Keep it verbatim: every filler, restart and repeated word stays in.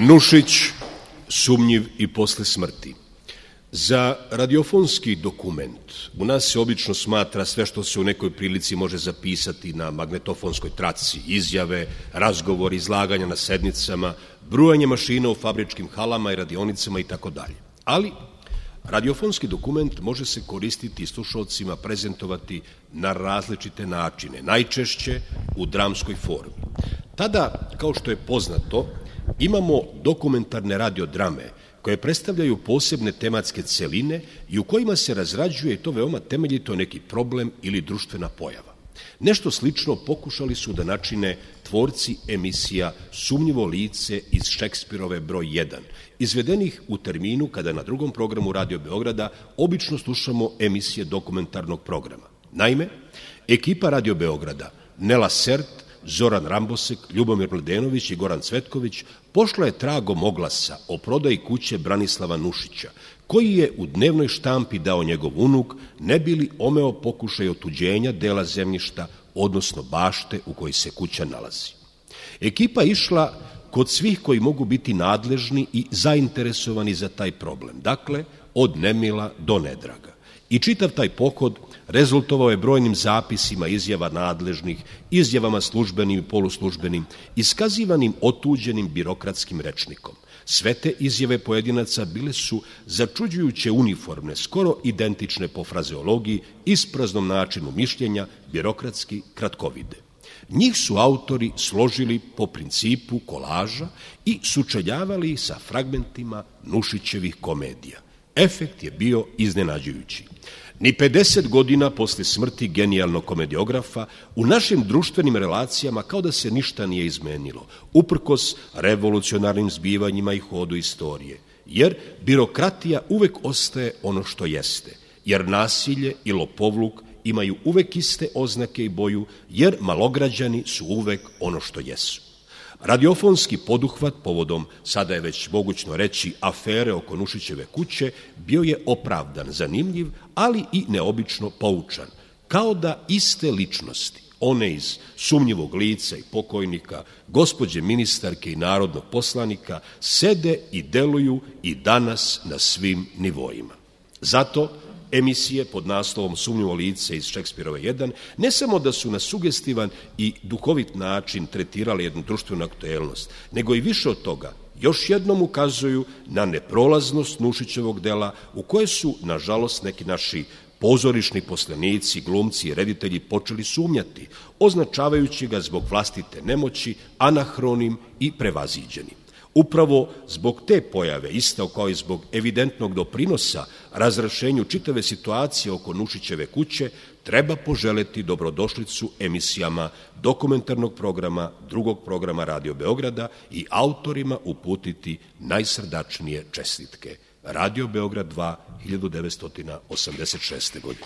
Nušić, sumnjiv i posle smrti. Za radiofonski dokument u nas se obično smatra sve što se u nekoj prilici može zapisati na magnetofonskoj traci, izjave, razgovori, izlaganja na sednicama, brujanje mašina u fabričkim halama i radionicama itd. Ali radiofonski dokument može se koristiti i slušalcima prezentovati na različite načine, najčešće u dramskoj formi. Tada, kao što je poznato, imamo dokumentarne radiodrame koje predstavljaju posebne tematske celine i u kojima se razrađuje, i to veoma temeljito, neki problem ili društvena pojava. Nešto slično pokušali su da načine tvorci emisija Sumnjivo lice iz Šekspirove broj jedan, izvedenih u terminu kada na drugom programu Radio Beograda obično slušamo emisije dokumentarnog programa. Naime, ekipa Radio Beograda, Nela Sert, Zoran Rambosek, Ljubomir Mladenović i Goran Cvetković pošla je tragom oglasa o prodaji kuće Branislava Nušića, koji je u dnevnoj štampi dao njegov unuk, ne bi li omeo pokušaj otuđenja dela zemljišta, odnosno bašte u kojoj se kuća nalazi. Ekipa išla kod svih koji mogu biti nadležni i zainteresovani za taj problem, dakle, od nemila do nedraga. I čitav taj pohod rezultovao je brojnim zapisima izjava nadležnih, izjavama službenim i poluslužbenim, iskazivanim otuđenim birokratskim rečnikom. Sve te izjave pojedinaca bile su začuđujuće uniformne, skoro identične po frazeologiji, ispraznom načinu mišljenja, birokratski kratkovide. Njih su autori složili po principu kolaža i sučeljavali sa fragmentima Nušićevih komedija. Efekt je bio iznenađujući. Ni pedeset godina posle smrti genijalnog komediografa u našim društvenim relacijama kao da se ništa nije izmenilo, uprkos revolucionarnim zbivanjima i hodu istorije, jer birokratija uvek ostaje ono što jeste, jer nasilje i lopovluk imaju uvek iste oznake i boju, jer malograđani su uvek ono što jesu. Radiofonski poduhvat povodom, sada je već mogućno reći, afere oko Nušićeve kuće bio je opravdan, zanimljiv, ali i neobično poučan, kao da iste ličnosti, one iz Sumnjivog lica i pokojnika, gospođe ministarke i narodnog poslanika, sede i deluju i danas na svim nivoima. Zato emisije pod naslovom Sumnjivo lice iz Šekspirove jedan ne samo da su na sugestivan i duhovit način tretirali jednu društvenu aktuelnost, nego i više od toga još jednom ukazuju na neprolaznost Nušićevog dela u koje su, nažalost, neki naši pozorišni poslenici, glumci i reditelji počeli sumnjati, označavajući ga zbog vlastite nemoći, anahronim i prevaziđenim. Upravo zbog te pojave, isto kao i zbog evidentnog doprinosa razrešenju čitave situacije oko Nušićeve kuće, treba poželeti dobrodošlicu emisijama dokumentarnog programa, drugog programa Radio Beograda i autorima uputiti najsrdačnije čestitke. Radio Beograd dva, hiljadu devetsto osamdeset šeste. godine.